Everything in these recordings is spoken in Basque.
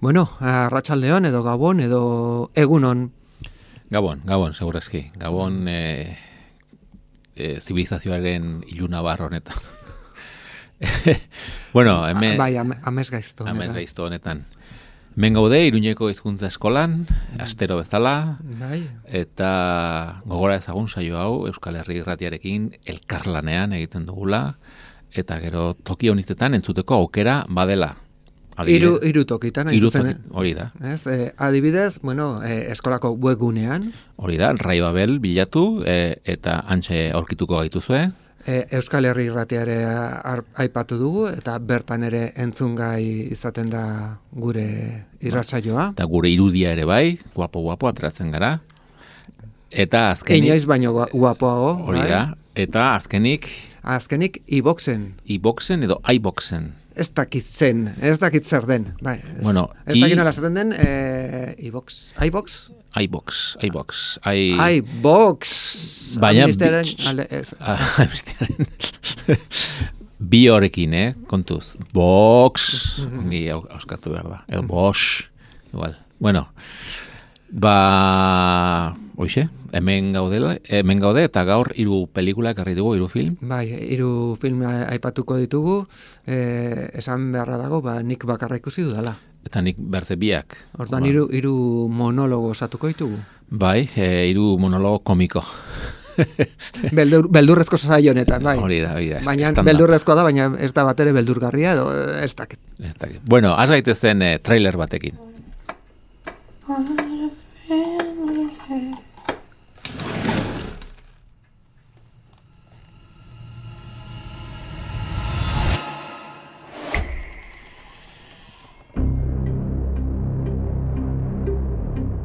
Bueno, arratsaldeon edo gabon edo egunon. Gabon, segurazki. Gabon zibilizazioaren ilunabar honetan. Bueno, hemen... Bai, amez gaizto honetan. Amez gaizto honetan. Hemen gaude, Iruñeko hizkuntza eskolan, astero bezala, bai. Eta gogora ezagun saio hau, Euskal Herri Irratiarekin elkarlanean egiten dugula, eta gero toki honitetan entzuteko aukera badela. Hiru tokitan hori da. Ez, adibidez, bueno, eskolako webgunean. Hori da, Rai Babel bilatu eta hantxe aurkituko gaituzue. Euskal Herri Irratiare aipatu dugu eta bertan ere entzungai izaten da gure irratsaioa. Eta gure irudia ere bai, guapo ateratzen gara. Eta azkenik... Inoiz baino guapoago. Hori da, eta azkenik iBoxen. iBoxen edo iBoxen. Ez dakit zer den. Bai, bueno, ez dakit nola esaten den, iBox. Baina bi horrekin, kontuz. Box, ni auskatu behar da. Edo Bosch, igual. Bueno, hoxe, hemen gaude eta gaur 3 pelikula ekarri dugu, 3 film. Bai, 3 film aipatuko ditugu, esan beharra dago, nik bakarra ikusi dudala. Eta nik berze biak. Hortan 3 monologo osatuko ditugu. Bai, 3 monologo komiko. Beldurrezko saio honetan, bai. Hori da. Baina beldurrezkoa da, baina ez da batere beldurgarria edo ez dakit. Bueno, has gaitezen trailer batekin.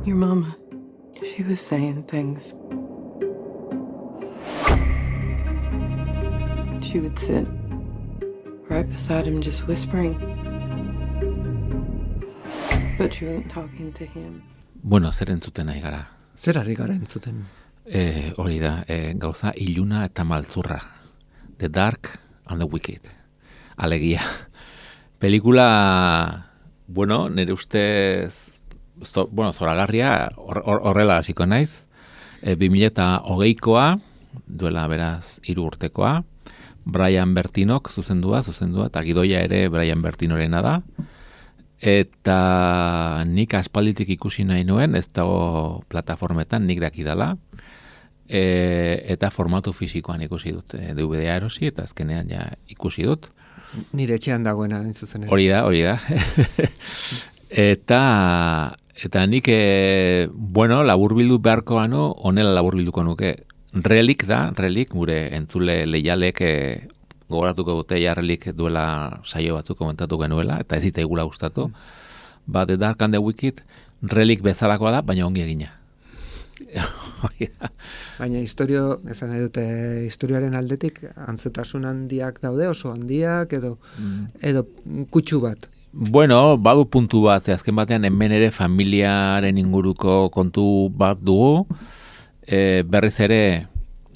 Your mama, she was saying things. She would sit right beside him just whispering. But she wasn't talking to him. Bueno, zer entzuten nahi gara? Zer ari gara entzuten? Hori da, gauza iluna eta maltzurra. The Dark and the Wicked. Alegia. Pelikula, bueno, nire ustez... zoragarria, horrela hasiko naiz, 2020koa, duela beraz 3 urtekoa, Brian Bertinok zuzendua, eta gidoia ere Brian Bertinorena da, eta nik aspalditik ikusi nahi nuen, ez dago plataformetan nik dakidala, eta formatu fisikoan ikusi dut, DVD-a erosi, eta azkenean ja ikusi dut. Nire etxean dagoena, zuzen. Hori da. Eta nik, laburbildu beharko gano, honela laburbilduko nuke. Relik, gure entzule leialek gogoratuko dute Relik duela saio batzuk komentatu genuela, eta ez zitzaigula gustatu. The Dark and the Wicked, Relik bezalakoa da, baina ongi egina. Baina esan nahi dute, historiaren aldetik antzetasun handiak daude, oso handiak, edo kutsu bat. Bueno, badu puntu bat, azken batean hemen ere familiaren inguruko kontu bat dugu, berriz ere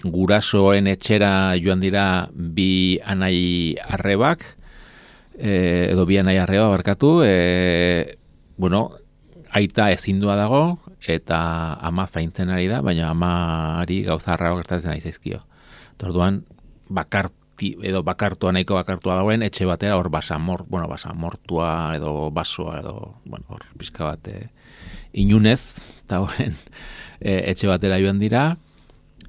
gurasoen etxera joan dira 2 anai arrebak, edo 2 anai arreba barkatu, aita ezindua dago, eta ama zaintzen ari da, baina amari gauza arreba gertatzen ari zaizkio. Orduan, bakartua nahiko bakartua dagoen, etxe batera hor basamortua edo basoa edo, hor pizka bat inunez dagoen etxe batera joan dira,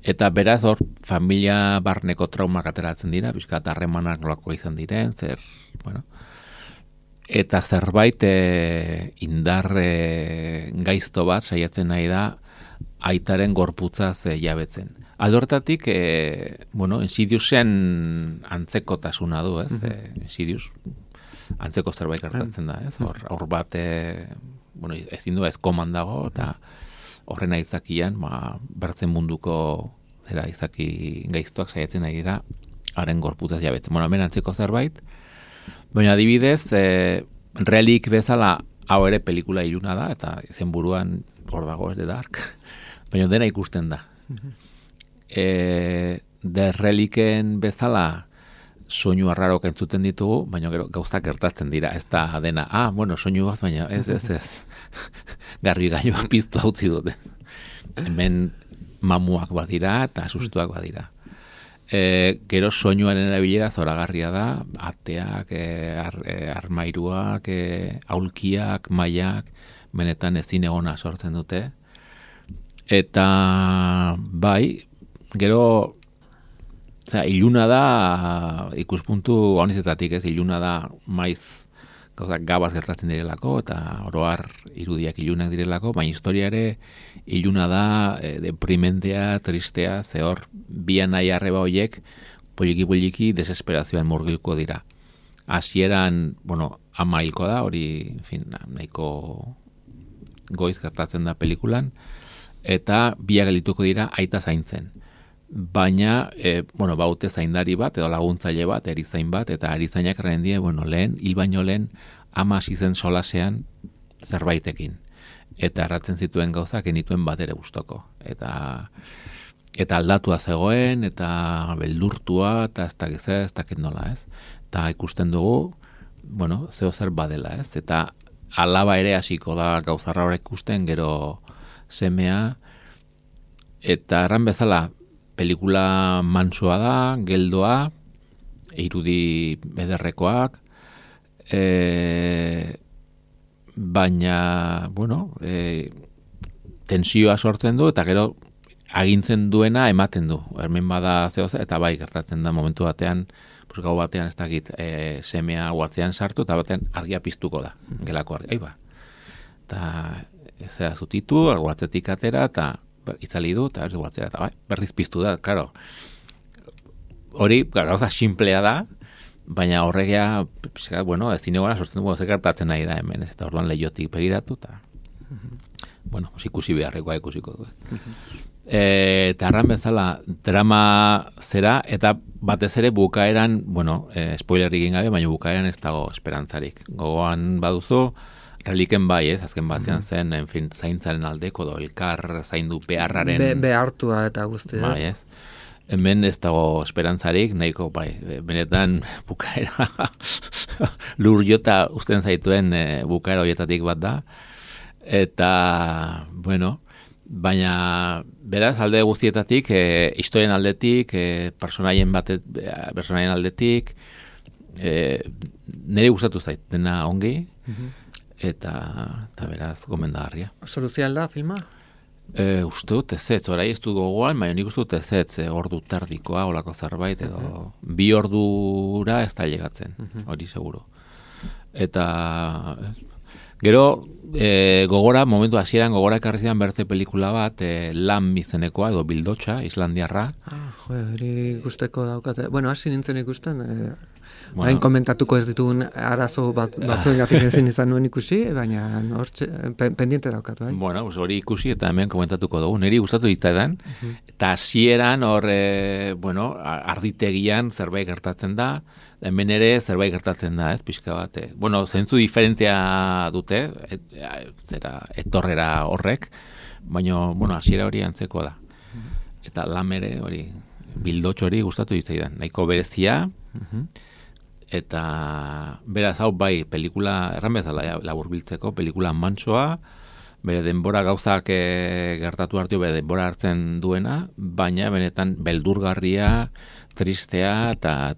eta beraz hor familia barneko traumak ateratzen dira, pizka bat harremanak nolako izan diren, eta zerbait indar gaizto bat saiatzen nahi da aitaren gorputzaz jabetzen. Aldortatik, Insidiousen antzekotasuna du, ez? Insidious, antzeko zerbait gertatzen da, ez? Hor bat, bueno, ezin du ezkoman dago, eta horren aitzakian, bertzen munduko zera izaki gaiztuak saiatzen ari dira, haren gorputzaz jabetzen. Bueno, hemen antzeko zerbait, baina adibidez, relik bezala, hau ere pelikula iluna da, eta izen buruan hor dago ez de dark, baina dena ikusten da. De reliken bezala, soinu arrarok entzuten ditugu, baina gero gauzak gertatzen dira, ez da dena, bueno, soinu bat, baina ez. Garbi gailua piztu hautzi dute. Hemen mamuak badira eta sustuak badira. Gero soinuaren erabilera zoragarria da, ateak, armairuak, aulkiak, mailak, benetan ezin egona sortzen dute. Eta bai, gero iluna da ikuspuntu honizetatik, ez, iluna da maiz gauzak gabaz gertatzen direlako, eta oroar irudiak ilunak direlako, baina historia ere iluna da, deprimentea, tristea, ze hor, bian nahi arreba horiek, poliki desesperazioan murgilko dira. Hasieran, bueno, ama hilko da, hori, en fin, nahiko goiz gertatzen da pelikulan, eta biak gelituko dira aita zaintzen. Baina, baute zaindari bat, edo laguntzaile bat, erizain bat, eta erizainak erren die, hil baino lehen, ama hasi zen solasean zerbaitekin. Eta erratzen zituen gauzak enituen bat ere gustoko. Eta aldatua zegoen, eta beldurtua, eta ez dakit nola, ez? Eta ikusten dugu, zeo zer badela, ez? Eta alaba ere hasiko da gauzarra hori ikusten, gero semea, eta erran bezala, pelikula mansoa da, geldoa, irudi ederrekoak, baina, tensioa sortzen du, eta gero agintzen duena ematen du. Hemen bada zehoz, eta bai gertatzen da momentu batean, gau batean ez dakit, semea guatzean sartu, eta batean argia piztuko da, gelako argia. Aiba. Eta ez da zutitu, guatzetik atera, eta itzali du, eta eta berriz piztu da, claro. Hori, gauza simplea da, baina horregea, ezin egona sortzen dugu, zekartatzen nahi da hemen, eta orduan lehiotik begiratu, eta, ikusi beharrekoa ikusiko du. Eta arran bezala, drama zera, eta batez ere bukaeran, spoilerik egin gabe, baina bukaeran ez dago esperantzarik. Gogoan baduzu, reliken bai, ez, azken batean zen, zaintzaren aldeko, elkar zaindu beharraren... Behartua eta guzti, bai, ez. Hemen ez dago esperantzarik, nahiko, bai, benetan bukaera lur jota usten zaituen bukaera horietatik bat da. Eta, baina beraz alde guztietatik, historien aldetik, personaien aldetik, nire gustatu zait, dena ongi, eta beraz gomendagarria. Soluzial da filma? Uste dut ezetz, orai ez du gogoan, baina nik uste dut ezetz, ordu terdikoa, olako zerbait, edo 2 ordura ez da llegatzen, hori seguro. Eta gero, momentu hasieran gogora ekarri zidan bertze pelikula bat, Lam izenekoa, edo Bildotxa, islandiarra. Hori gusteko daukate. Hasi nintzen ikusten, Hain komentatuko ez ditugun arazo batzuengatik ezin izan nuen ikusi, baina pendiente daukat, bai? Hori ikusi eta hemen komentatuko dugu. Niri gustatu ditzaidan, eta hasieran hor, arditegian zerbait gertatzen da, hemen ere zerbait gertatzen da, ez, pixka bat. Zentzu diferentea dute, etorrera horrek, baina, hasiera hori antzeko da. Eta Lam ere hori, Bildotxo hori gustatu ditzaidan. Nahiko berezia, eta beraz hau bai pelikula erran bezala laburbiltzeko pelikula mantsoa, bere denbora gauzak gertatu hartio bere denbora hartzen duena, baina benetan beldurgarria, tristea eta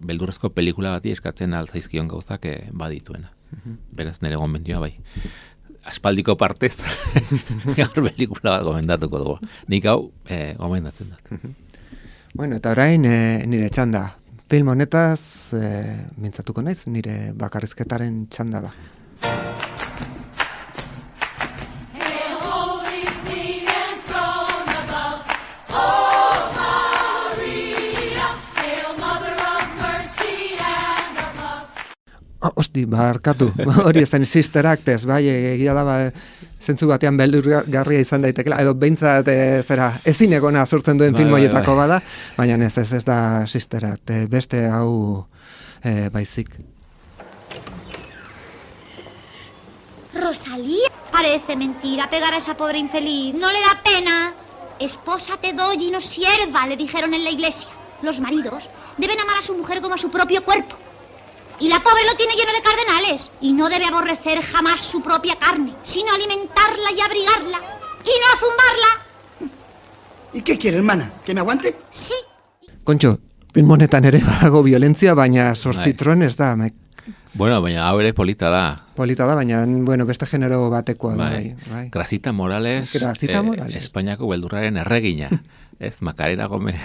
beldurrezko pelikula bati eskatzen altzaizkion gauzak badituena. Beraz nire gomendioa bai. Aspaldiko partez gaur pelikula bat gomendatuko dugu. Nik hau gomendatzen dut. Eta orain nire txanda. Film honetaz mintzatuko naiz, nire bakarrizketaren txanda da. Osti, barkatu, hori ezen Sister Act ez, bai, egia da, zentzu batean beldurgarria izan daitekela, edo behintzat ezin egona sortzen duen film horietako bada, baina ez da Sister Act, beste hau baizik. Rosalía, parece mentira pegar a esa pobre infeliz, no le da pena. Esposa te doy y no sierva, le dijeron en la iglesia. Los maridos deben amar a su mujer como a su propio cuerpo. Y la pobre lo tiene lleno de cardenales. Y no debe aborrecer jamás su propia carne, sino alimentarla y abrigarla. Y no zumbarla. ¿Y qué quiere, hermana? ¿Que me aguante? Sí. Kontxo, film honetan ere badago violentzia, baina Zortzitron ez da. Bueno, baina hau ere polita da. Polita da, baina beste genero batekoa da. Bai. Gracita Morales, Espainiako beldurraren erregina. Ez, Macarena Gómez.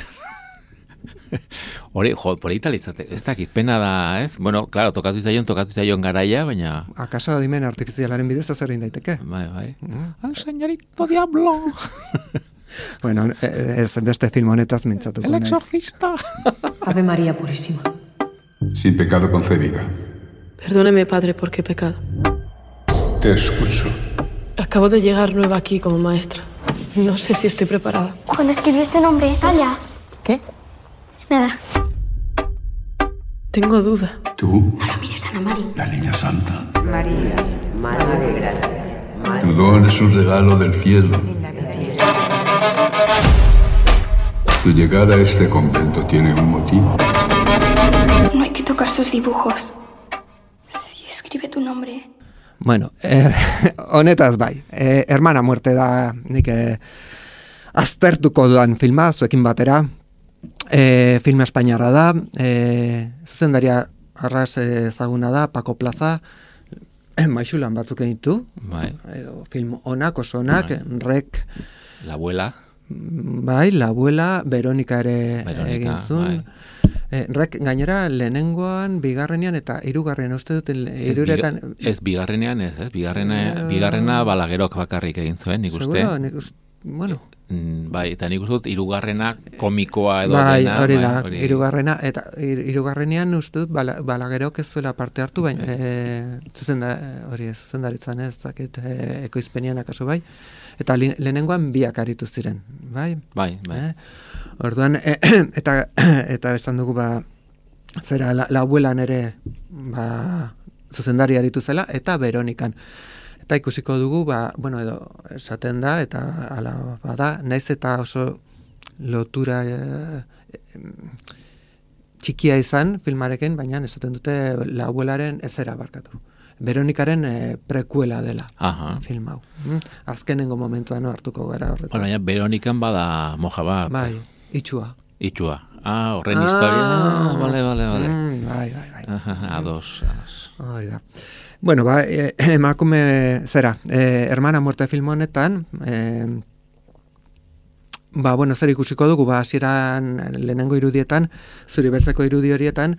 Hori, polita litzate. Ez dakit, pena da, ez? Bueno, claro, tokatu zaion garaia, baina... Akaso adimen artifizialaren bidez azerrein daiteke. Bai. Al señorito diablo. Bueno, ez beste film honetaz mintzatuko. El exorcista. Ave María Purísima. Sin pecado concebida. Perdóneme, padre, ¿por qué pecado? Te escucho. Acabo de llegar nueva aquí como maestra. No sé si estoy preparada. Cuando escribió ese nombre, Talla. ¿Qué? Nada. Tengo duda. ¿Tú? No lo mires, Ana María. La niña santa. María, Madre de Gracia. Tu don es un regalo del cielo. En la vida y Tu llegada a este convento tiene un motivo. No hay que tocar sus dibujos. Si escribe tu nombre. Bueno, honetaz bai. Hermana muerte da nik aztertuko dudan filma, zuekin batera. Filma espainiarra da. Zuzendaria arras ezaguna da, Paco Plaza. Maixulan batzuk ditu. Bai. Film onak, oso onak, Rek. La abuela. Bai, La abuela, Veronika ere egin zuen. Bai. Rek gainera lehenengoan, bigarrenean eta hirugarren uste dut hiruretan... Bigarrenean ez, bigarrena Balaguerok bakarrik egin zuen, nik uste. Seguro, nik uste, bueno. Bai, eta nik uste dut hirugarrena komikoa edo bai, dena. Hori da, hirugarrena, eta hirugarrenean uste dut Balaguerok ez zuela parte hartu, baina zuzendaritzan ez, zakit, ekoizpenian akaso bai. Eta lehenengoan biak aritu ziren, bai? Bai. Orduan, eta esan dugu, zera, la abuelan ere, zuzendari aritu zela, eta Veronikan. Eta ikusiko dugu, bueno, edo, esaten da, eta ala bada, naiz eta oso lotura txikia izan filmarekin, baina esaten dute la abuelaren ezera barkatu. Veronikaren prekuela dela film hau. Azkenengo momentuan hartuko gara horretan. Baina Veronikan bada moja bat. Bai, itxua. Horren historia. Vale. Bai. Ados. Hori da. Bueno, emakume zera, hermana muerte film honetan, bueno, zer ikusiko dugu, hasieran lehenengo irudietan, zuri beltzeko irudi horietan,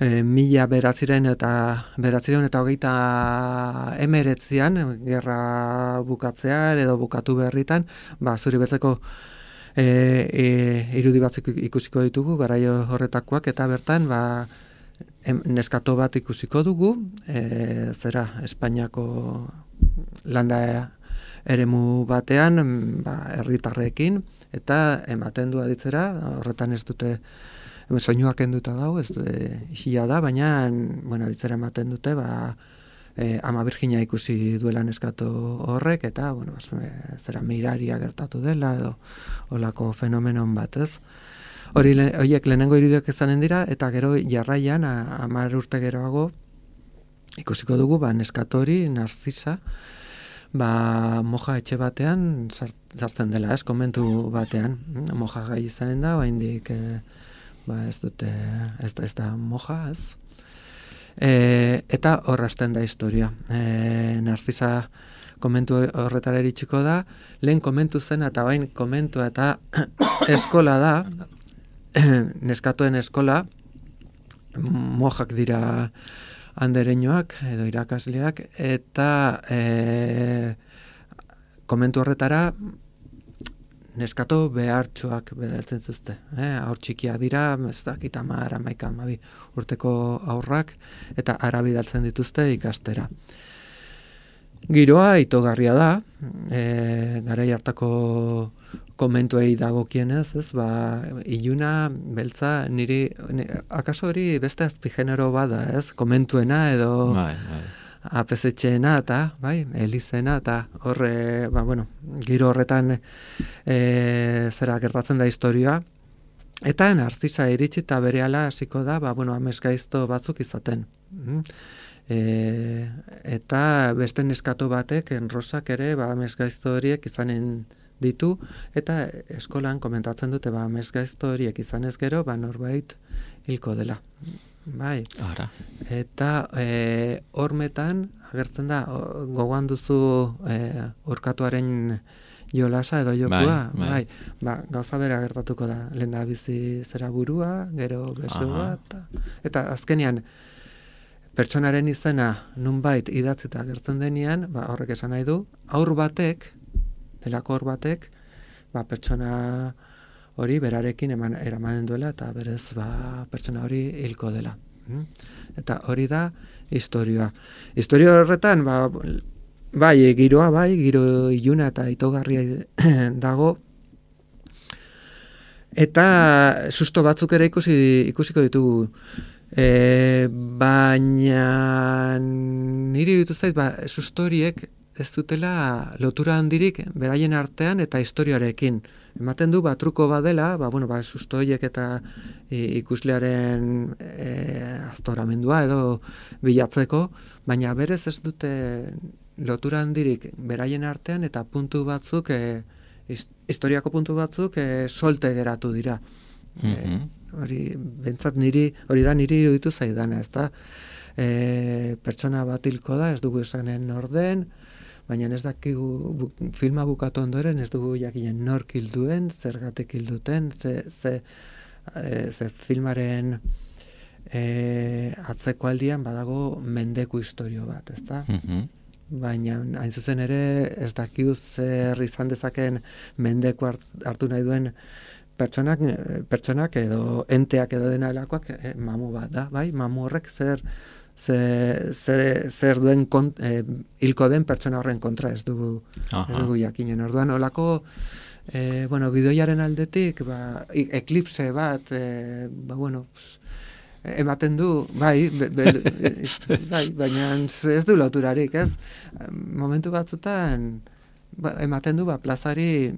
1900 eta 1939 gerra bukatzean edo bukatu berritan, zuri beltzeko irudi batzuk ikusiko ditugu, garaio horretakoak, eta bertan, neskato bat ikusiko dugu, zera, Espainiako landa eremu batean, herritarrekin, eta ematen du aditzera, horretan ez dute, soinuak enduta dago, ez isila da, baina, bueno, aditzera ematen dute, ama Virginia ikusi duela neskato horrek, eta, bueno, zera, miraria gertatu dela, edo, olako fenomenon bat, ez? Horiek lehenengo irudiak izanen dira, eta gero jarraian, 10 urte geroago, ikusiko dugu, neskatori, Narcisa, moja etxe batean sartzen dela, ez, komentu batean. Moja gai izanen da, oraindik ez da moja, ez. Eta horrazten da historia. Narcisa komentu horretara iritsiko da, lehen komentu zen eta bain komentua eta eskola da, neskatoen eskola, mojak dira andereñoak edo irakasleak, eta komentu horretara neskato behartxoak bedaltzen zuzte. Haur txikia dira, ez dakit 10, 11, 12 urteko haurrak, eta ara bidaltzen dituzte ikastera. Giroa itogarria da, garai hartako komentuei dagokienez, ez, iluna, beltza, akaso hori beste azpigenero bada, ez, komentuena edo apezetxeena eta, elizena eta horre, giro horretan zera gertatzen da historia, eta Narcisa iritsi eta berehala hasiko da, amesgaizto batzuk izaten. Eta beste neskato batek, Rosak ere, amesgaizto horiek izanen ditu, eta eskolan komentatzen dute, amesgaizto horiek izanez gero, norbait hilko dela. Bai. Ara. Eta hormetan agertzen da gogoan duzu urkatuaren jolasa edo jokua, bai. Gauza bera gertatuko da, lehen bizi zera burua, gero beso bat, eta azkenean pertsonaren izena nunbait idatzita gertzen denean, horrek esan nahi du, delako hor batek, pertsona hori berarekin eramanen duela eta berez pertsona hori hilko dela. Eta hori da historioa. Historia horretan, giroa, giro iluna eta itogarria dago, eta susto batzuk ere ikusiko ditugu. Baina niri ditu zait, susto horiek ez dutela lotura handirik beraien artean eta historiarekin. Ematen du, truko badela, susto horiek eta ikuslearen aztoramendua edo bilatzeko, baina berez ez dute lotura handirik beraien artean eta puntu batzuk, historiako puntu batzuk solte geratu dira. Hori, bentsat hori da niri iruditu zaidana, ez da? Pertsona bat hilko da, ez dugu esanen orden, baina ez dakigu filma bukatu ondoren, ez dugu jakinen nork hilduen, zergatik hilduten, ze filmaren atzeko aldian badago mendeku historio bat, ez da? Baina hain zuzen ere ez dakigu zer izan dezaken mendeku hartu nahi duen pertsonak edo enteak edo dena delakoak mamu bat da, bai? Mamu horrek zer duen hilko den pertsona horren kontra ez dugu jakinen. Orduan, olako gidoiaren aldetik, eklipse bat, ematen du, baina ez du loturarik, ez? Momentu batzutan, ematen du, plazari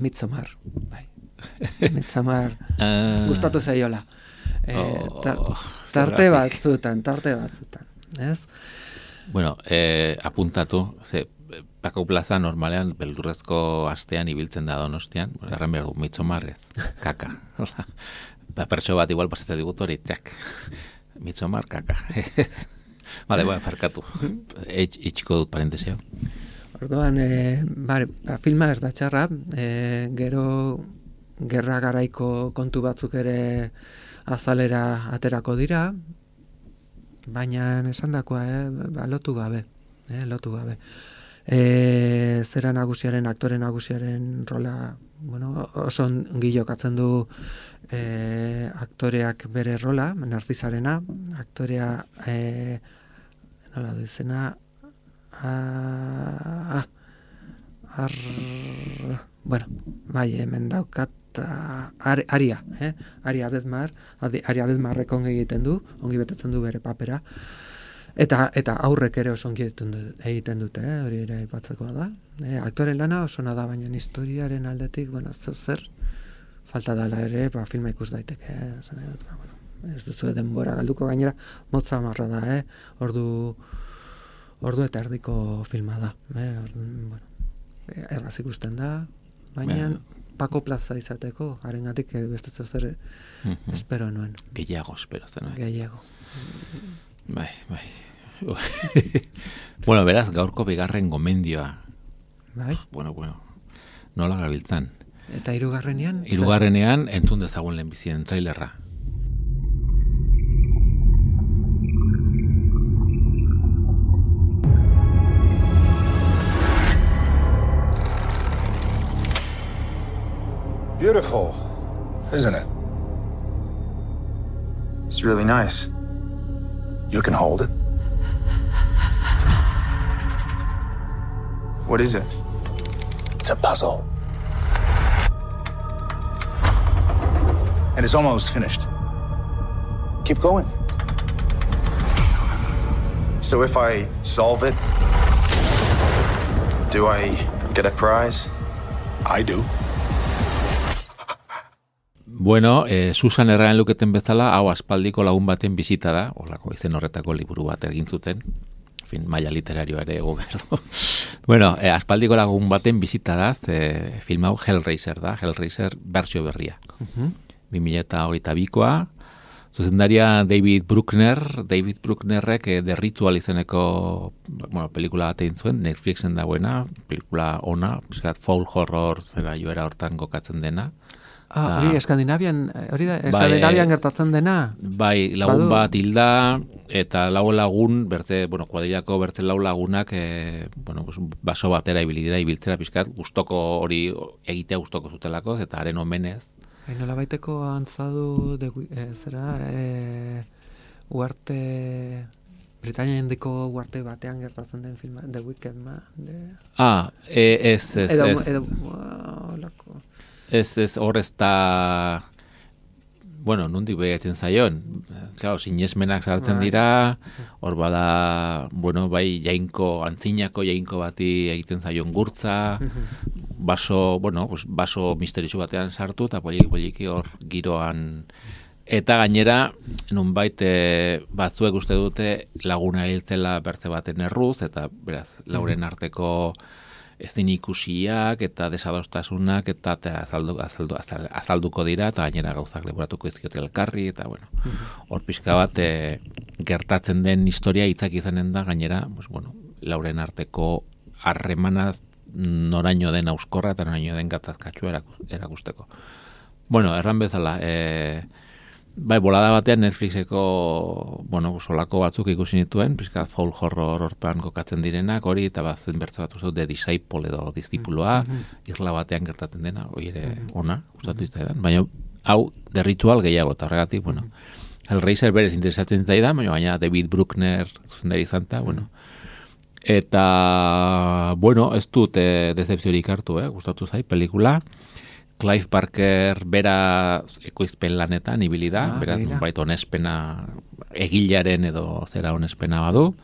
Midsommar, Midsommar gustatu zaiola. Tarte batzutan, ez? Bueno, apuntatu, Paco Plaza normalean beldurrezko astean ibiltzen da Donostian, erran behar du, Midsommar ez, kaka. Pertso bat igual pasatzen digut hori, Midsommar, kaka. Vale, farkatu. Itxiko dut parentesio. Orduan, filma ez da txarra, gero gerra garaiko kontu batzuk ere azalera aterako dira, baina esandakoa, lotu gabe. Zera nagusiaren, aktore nagusiaren rola, oso ongi jokatzen du aktoreak bere rola, Narcisarena, aktorea, nola du izena, hemen daukat Aria Bedmarrek ongi egiten du, ongi betetzen du bere papera, eta aurrek ere oso ongi egiten dute, hori ere aipatzekoa da. Aktoren lana oso da, baina historiaren aldetik, zer falta dela ere, filma ikus daiteke, ez duzu denbora galduko, gainera motza marra da, ordu eta erdiko filma da, erraz ikusten da, baina Paco Plaza izateko, harengatik beste zer espero nuen. Gehiago espero zen. Gehiago. Bai. Bueno, beraz, gaurko bigarren gomendioa. Bai? Bueno, nola gabiltzan? Eta hirugarrenean? Hirugarrenean entzun dezagun lehenbizien trailerra. beautiful, isn't it? It's really nice. You can hold it. What is it? It's a puzzle. And it's almost finished. Keep going. So if I solve it, do I get a prize? I do. Bueno, Susan erraen luketen bezala, hau aspaldiko lagun baten bizita da, holako izen horretako liburu bat egin zuten, maila literarioa ere ego behar du. Bueno, aspaldiko lagun baten bizita da, film hau Hellraiser da, Hellraiser bertsio berria. 2022koa, zuzendaria David Brucknerrek The Ritual izeneko pelikula bat egin zuen, Netflixen dagoena, pelikula ona, foul horror zera joera hortan gokatzen dena. Hori Eskandinavian gertatzen dena? Bai, lagun bat hilda, eta lagun, kuadrilako bertze lagunak, baso batera ibiltzera pixkat, gustoko hori egitea gustoko zutelako, eta haren omenez. Nola baiteko antzadu, uarte, Britania indiko uarte batean gertatzen den filma, The Wicked Man. Ez, hor ez da, nondik behatzen zaion. Claro, sinesmenak sartzen dira, hor bada, bai, antzinako jainko bati egiten zaion gurtza, baso misterizu batean sartu, eta poliki hor giroan. Eta gainera, nunbait batzuek uste dute laguna hiltzela bertze baten erruz, eta beraz, lauren arteko ezin ikusiak eta desadostasunak eta azalduko dira, eta gainera gauzak leboratuko izkiot elkarri, eta hor pixka bat gertatzen den historia hitzak izanen da, gainera, lauren arteko harremanaz noraino den auskorra eta noraino den gatazkatsua erakusteko. Erran bezala, bolada batean Netflixeko, solako batzuk ikusi nituen, pixka foul horror hortan kokatzen direnak, hori, eta bazen bertze bat uste The Disciple edo Diszipuloa, irla batean gertatzen dena, hori ere ona, gustatu izan, baina hau The Ritual gehiago, eta horregatik, Hellraiser berez interesatzen zaidan, baina gaina David Bruckner zuzendari izan, eta, ez dut decepziorik hartu, gustatu zai, pelikula. Clive Barker bera ekoizpen lanetan ibili da, beraz nunbait onespena egilaren edo zera onespena badu.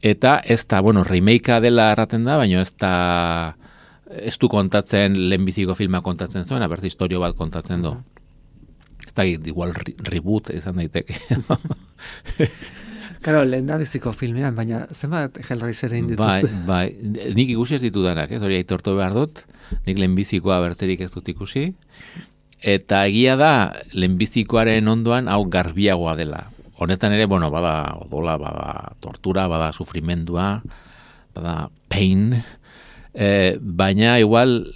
Eta ez da, remakea dela erraten da, baina ez du kontatzen lehenbiziko filma kontatzen zuen, berz historio bat kontatzen du. Ez da, igual reboot izan daiteke. Karo, lehen da biziko filmean, baina zenbat Hellraiser egin dituzte? Bai, nik ikusi ez ditudanak, hori aitortu behar dut, nik lehenbizikoa bertzerik ez dut ikusi, eta egia da lehenbizikoaren ondoan hau garbiagoa dela. Honetan ere, bada odola, bada tortura, bada sufrimendua, bada pain, baina igual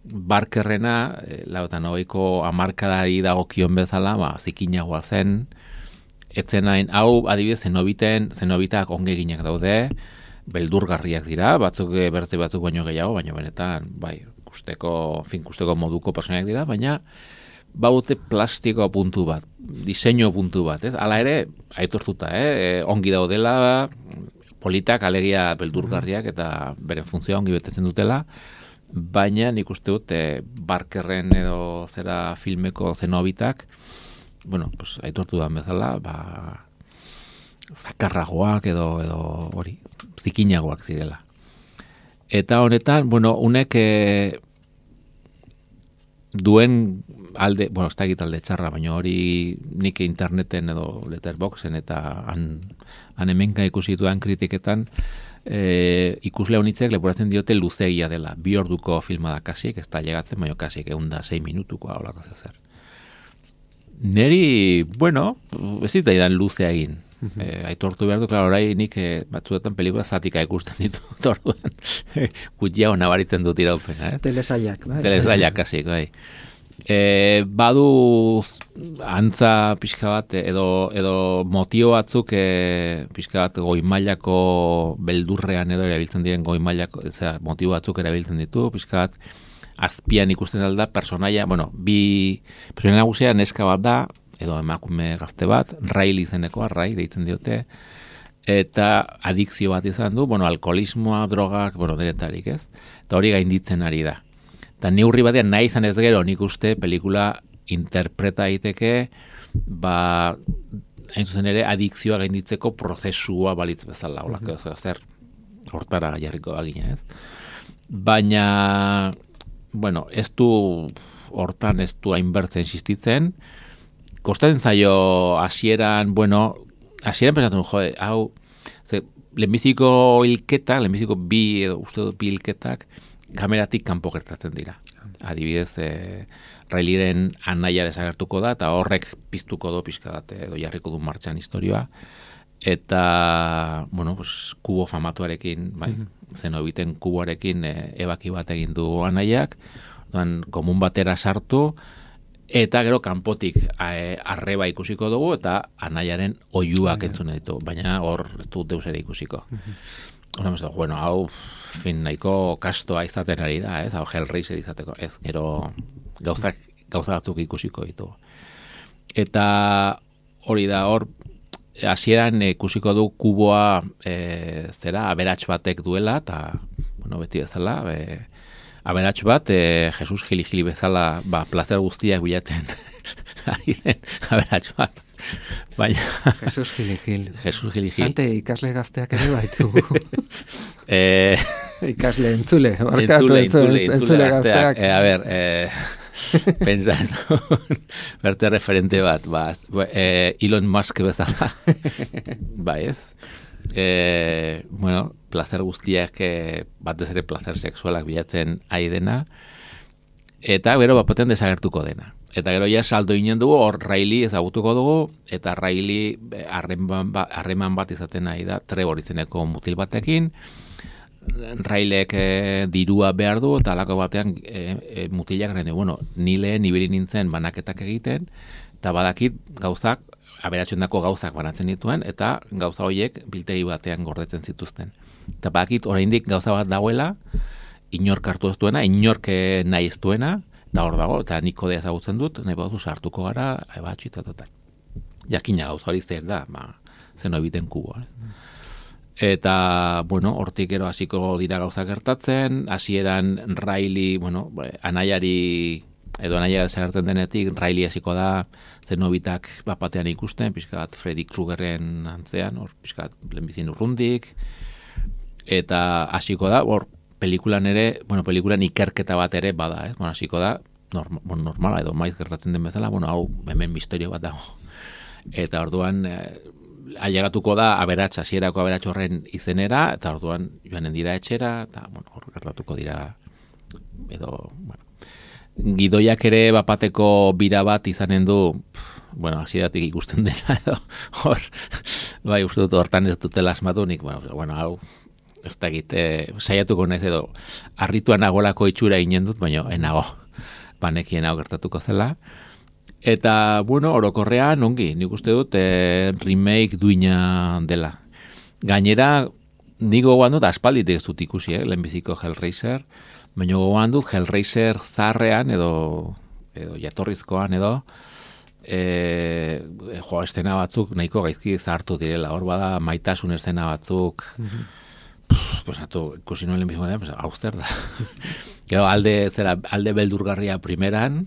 Barkerrena, lautan hogeiko hamarkadari dagokion bezala, zikinagoa zen, etzenain, hau adibidez zenobitak ongeginak daude, beldurgarriak dira, batzuk bertze batzuk baino gehiago, baina benetan, kusteko moduko personak dira, baina baute plastiko puntu bat, diseño puntu bat, Hala ere, aitortuta, ongi daudela, politak, alegia beldurgarriak eta beren funtzioa ongi betetzen dutela, baina nik uste dut Barkerren edo zera filmeko zenobitak, aitortu da bezala, zakarragoak edo hori, zikinagoak zirela. Eta honetan, unek duen alde, ez da egit alde txarra, baina hori nik interneten edo Letterboxen eta han hemenka ikusi duan kritiketan, ikusle honitzek leporatzen diote luzegia dela. 2 orduko filma da kasik, ez da llegatzen, baina kasik 6 minutukoa holako zer. Neri, ez zitaidan luzea egin. Aitortu behar du, orai nik batzuetan pelikula zatika ikusten ditut orduan. Gutxiago nabaritzen dut iraupena. Telesaiak, bai. Telesaiak, kasik, bai. Badu antza pixka bat edo motio batzuk pixka bat goimailako beldurrean edo erabiltzen diren goimailako motio batzuk erabiltzen ditu, pixka bat azpian ikusten alda personaia, personaia nagusia neska bat da, edo emakume gazte bat, Riley izenekoa, Ray deitzen diote, eta adikzio bat izan du, alkoholismoa, drogak, denetarik, ez? Eta hori gainditzen ari da. Eta neurri batean nahi izan ez gero, nik uste pelikula interpreta daiteke, hain zuzen ere, adikzioa gainditzeko prozesua balitz bezala, zer, hortara jarriko bagina, ez? Baina, ez du hortan ez du hainbertzen insistitzen, kostatzen zaio hasieran, hasieran pensatu, hau, lehenbiziko hilketak, lehenbiziko bi hilketak, kameratik kanpo gertatzen dira. Adibidez, Rileyren anaia desagertuko da, eta horrek piztuko do pixka bat, edo jarriko du martxan historioa, eta, kubo famatuarekin, zenobiten kuboarekin ebaki bat egin du anaiak, komun batera sartu, eta gero kanpotik arreba ikusiko dugu, eta anaiaren oiuak entzune ditu, baina hor ez du deus ere ikusiko. Hau nahiko kastoa izaten ari da, ez? Hau Hellraiser izateko, ez? Gero gauza batzuk ikusiko ditu. Eta hori da, hor hasieran ikusiko du kuboa aberats batek duela, eta beti bezala, aberats bat, Jesus Gili bezala, plazer guztiak bilatzen ari den aberats bat. Baina... Jesus Gili. Sante ikasle gazteak ere baitugu. Ikasle entzule gazteak. A ber, pensando, berte referente bat, Elon Musk bezala. Ez? Plazer guztiak, batez ere plazer sexualak bilatzen ari dena, eta gero bapaten desagertuko dena. Eta gero ja saldo inen dugu, hor Riley ezagutuko dugu, eta Riley harreman bat izaten nahi da, Trevor izeneko mutil batekin, Rileyek dirua behar du, eta alako batean mutilak garen du, ni lehen ibili nintzen banaketak egiten, eta badakit gauzak, aberatsendako gauzak banatzen dituen, eta gauza horiek biltegi batean gordetzen zituzten. Eta badakit oraindik gauza bat dagoela, inork hartu ez duena, inork nahi ez duena, eta hor dago, eta nik kodea ezagutzen dut, nahi bauzu sartuko gara, eta jakina gauza hori zer da, zeno ebiten kuboa. Eta, hortik gero hasiko dira gauza gertatzen, hasieran Riley, anaiari, edo anaia desagertzen denetik, Riley hasiko da, zenobitak bapatean ikusten, pixka bat Freddy Kruegerren antzean, hor pixka bat lehenbizien urrundik, eta hasiko da, hor, pelikulan ere, pelikulan ikerketa bat ere bada, ez? Hasiko da, normala edo maiz gertatzen den bezala, hau hemen misterio bat dago. Eta orduan, ailegatuko da hasierako aberats horren izenera, eta orduan joanen dira etxera, eta hor gertatuko dira, edo, gidoiak ere bapateko bira bat izanen du, hasieratik ikusten dena, edo, hor, uste dut hortan ez dutela asmatu nik, hau, ez da egite, saiatuko naiz edo, arrituan agolako itxura inen dut, baina enago, banekien hau gertatuko zela. Eta, orokorrean, ongi, nik uste dut, remake duina dela. Gainera, nik gogoan dut, aspalditek ez dut ikusi, lehenbiziko Hellraiser, baina gogoan dut, Hellraiser zarrean, edo jatorrizkoan, edo, estena batzuk nahiko gaizki zahartu direla, hor bada maitasun estena batzuk, ikusi nuen lehenbiziko da, hau zer da. Gero, alde beldurgarria primeran,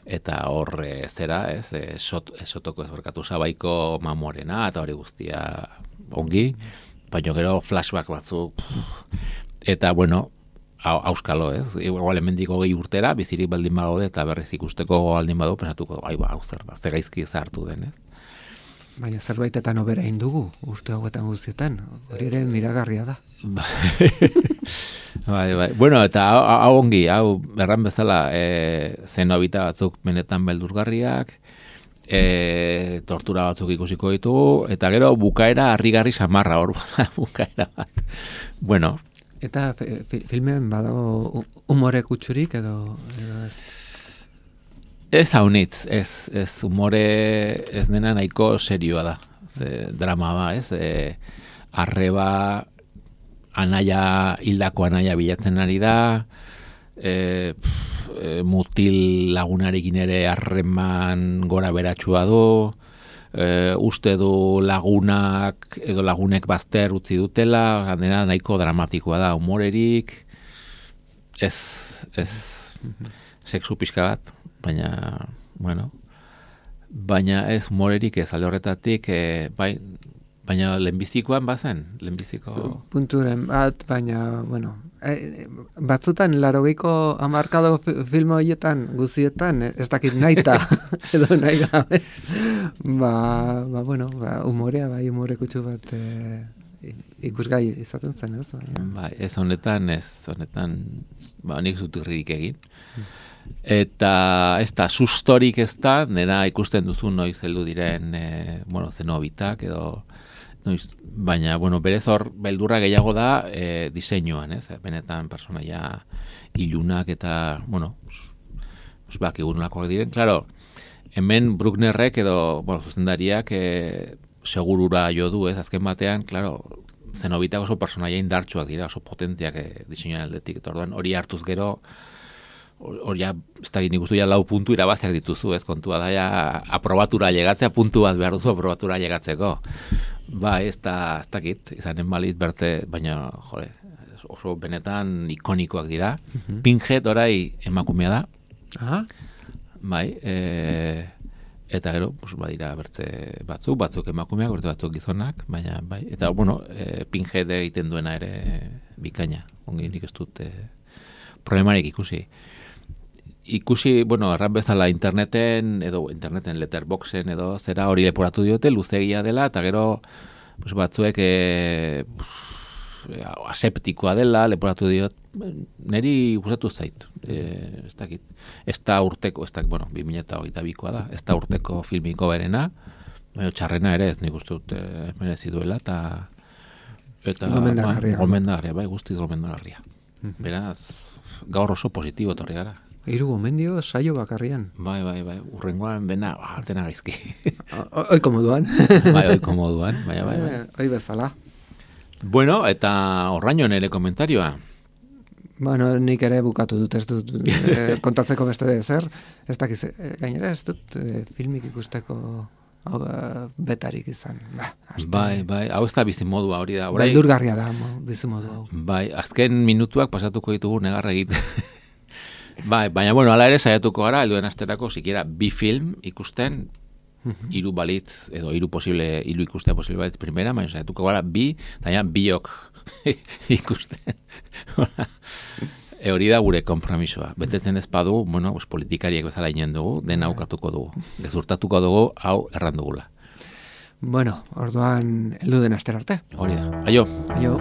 eta hor esotoko ezberkatu Sabaiko mamorena, eta hori guztia ongi, baina gero flashback batzuk, eta auskalo, ez? Igual hemendik 20 urtera, bizirik baldin bagaude, eta berriz ikusteko baldin badu, pensatuko, hau zer da, ze gaizki zahartu den, ez? Baina zerbaitetan obera indugu, urte hauetan guztietan, hori ere miragarria da. Bai. Eta hau ongi, hau berran bezala, zenobita batzuk benetan beldurgarriak, tortura batzuk ikusiko ditugu, eta gero bukaera harrigarri samarra hor, bukaera bat. Eta filmen badago humore kutsurik edo ez? Ez haunitz, ez humore ez dena nahiko serioa da, drama da, ez? Arreba hildako anaia bilatzen ari da, mutil lagunarekin ere harreman gora beratsua du, uste du lagunak edo lagunek bazter utzi dutela, dena nahiko dramatikoa da, humorerik, ez sexu pixka bat, baina, bueno, baina ez humorerik ez alde horretatik, baina lehenbizikoan bazen, lehenbiziko... Punturen bat, baina, bueno, batzutan 80ko hamarkado film horietan guzietan ez dakit naita edo nahi gabe bueno, humorea bai humore kutsu bat ikusgai izaten zen ez? Bai, ez honetan nik zutirririk egin eta ez da sustorik ez da, nera ikusten duzu noiz heldu diren zenobitak edo noiz, baina, berez hor, beldurra gehiago da diseinuan, ez? Benetan personaia ilunak eta, bakigurulakoak diren. Claro, hemen Brucknerrek edo, zuzendariak segurura jo du, ez? Azken batean, claro, zenobitak oso personaia indartsuak dira, oso potenteak diseinuan aldetik. Eta orduan, hori hartuz gero, hori ja, ez da nik uste ja 4 puntu irabaziak dituzu, ez? Kontua da, ja, aprobatura llegatzea, puntu bat behar duzu aprobatura llegatzeko. Ba, ez dakit, izanen baliz bertze, baina, jode, oso benetan ikonikoak dira. Pinhead orai emakumea da. Aha. Bai, eta gero, badira bertze batzuk emakumeak, bertze batzuk gizonak, baina, bai, eta, Pinhead egiten duena ere bikaina. Ongi nik ez dut problemarik ikusi, erran bezala interneten letterboxen edo zera hori leporatu diote, luzegia dela, eta gero batzuek aseptikoa dela, leporatu diot, neri gustatu zait, ez dakit, ez da urteko, 2022koa da, ez da urteko filmiko berena, txarrena ere ez nik uste dut merezi duela, eta gomendagarria, bai, guztiz gomendagarria. Beraz, gaur oso positibo etorri gara. 3 gomendio saio bakarrian. Bai, urrengoan dena, atena gaizki. Oiko moduan. Bai, bai. Oi bezala. Bueno, eta horraino nire komentarioa. Bueno, nik ere bukatu dut, ez dut kontatzeko beste de zer. Ez dakiz, gainera ez dut filmik ikusteko betarik izan. Bai, hau ez da bizimodua hori da. Beldurgarria da bizimodu hau. Bai, azken minutuak pasatuko ditugu negarra egiten. Bai, baina, ala ere saiatuko gara, helduen asterako, sikiera, 2 film ikusten, 3 balitz, edo 3 posible, 3 ikustea posible balitz primera, baina saiatuko gara, 2, eta biok ikusten. Hori da gure konpromisoa. Betetzen ez badu, politikariek bezala inen dugu, dena aukatuko dugu. Gezurtatuko dugu, hau erran dugula. Bueno, orduan, helduen aster arte. Hori da. Aio. Aio.